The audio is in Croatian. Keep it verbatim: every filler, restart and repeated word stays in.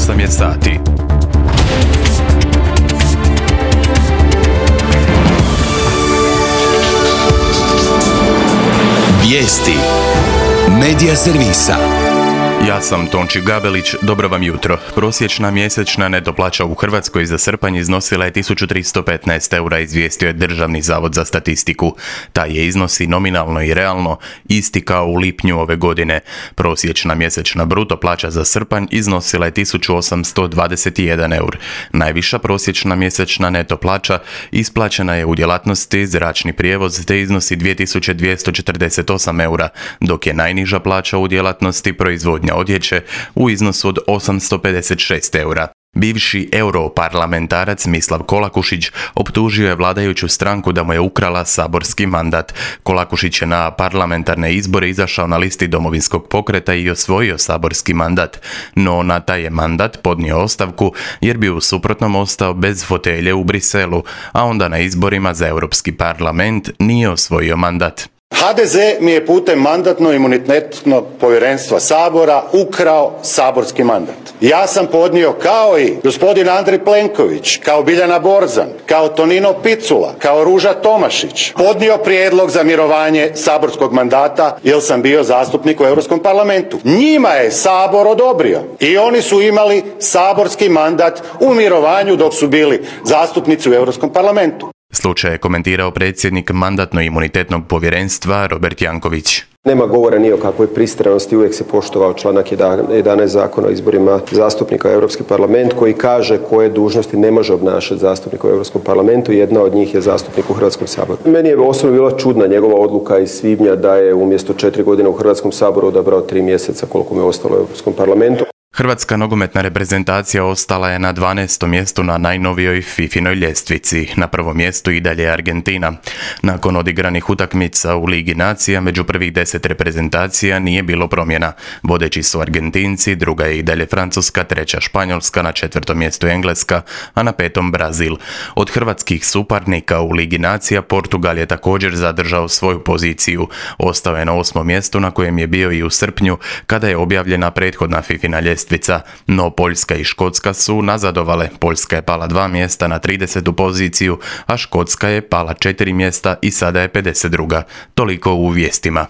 osam je sati. Vijesti Medija servisa. Ja sam Tonči Gabelić, dobro vam jutro. Prosječna mjesečna neto plaća u Hrvatskoj za srpanj iznosila je tisuću tristo petnaest eura, izvijestio je Državni zavod za statistiku. Taj je iznosi nominalno i realno isti kao u lipnju ove godine. Prosječna mjesečna bruto plaća za srpanj iznosila je tisuću osamsto dvadeset jedan eur. Najviša prosječna mjesečna neto plaća isplaćena je u djelatnosti zračni prijevoz te iznosi dvije tisuće dvjesto četrdeset osam eura, dok je najniža plaća u djelatnosti proizvodnja odjeće u iznosu od osamsto pedeset šest eura. Bivši europarlamentarac Mislav Kolakušić optužio je vladajuću stranku da mu je ukrala saborski mandat. Kolakušić je na parlamentarne izbore izašao na listi Domovinskog pokreta i osvojio saborski mandat, no na taj je mandat podnio ostavku jer bi u suprotnom ostao bez fotelje u Briselu, a onda na izborima za Europski parlament nije osvojio mandat. ha de ze mi je putem mandatno-imunitetnog povjerenstva Sabora ukrao saborski mandat. Ja sam podnio kao i gospodin Andrej Plenković, kao Biljana Borzan, kao Tonino Picula, kao Ruža Tomašić, podnio prijedlog za mirovanje saborskog mandata jer sam bio zastupnik u Europskom parlamentu. Njima je Sabor odobrio i oni su imali saborski mandat u mirovanju dok su bili zastupnici u Europskom parlamentu. Slučaj je komentirao predsjednik mandatno-imunitetnog povjerenstva Robert Janković. Nema govora ni o kakvoj pristranosti, uvijek se poštovao članak jedanaest Zakona o izborima zastupnika u Europski parlament koji kaže koje dužnosti ne može obnašati zastupnik u Europskom parlamentu. Jedna od njih je zastupnik u Hrvatskom saboru. Meni je osobno bila čudna njegova odluka iz svibnja da je umjesto četiri godine u Hrvatskom saboru odabrao tri mjeseca koliko mu je ostalo u Europskom parlamentu. Hrvatska nogometna reprezentacija ostala je na dvanaestom mjestu na najnovijoj fifinoj ljestvici. Na prvom mjestu i dalje je Argentina. Nakon odigranih utakmica u Ligi nacija među prvih deset reprezentacija nije bilo promjena. Vodeći su Argentinci, druga je i dalje Francuska, treća Španjolska, na četvrtom mjestu Engleska, a na petom Brazil. Od hrvatskih suparnika u Ligi nacija Portugal je također zadržao svoju poziciju. Ostao je na osmom mjestu na kojem je bio i u srpnju kada je objavljena prethodna fifina ljestvica. No Poljska i Škotska su nazadovale. Poljska je pala dva mjesta na tridesetu poziciju, a Škotska je pala četiri mjesta i sada je pedeset druga. Toliko u vijestima.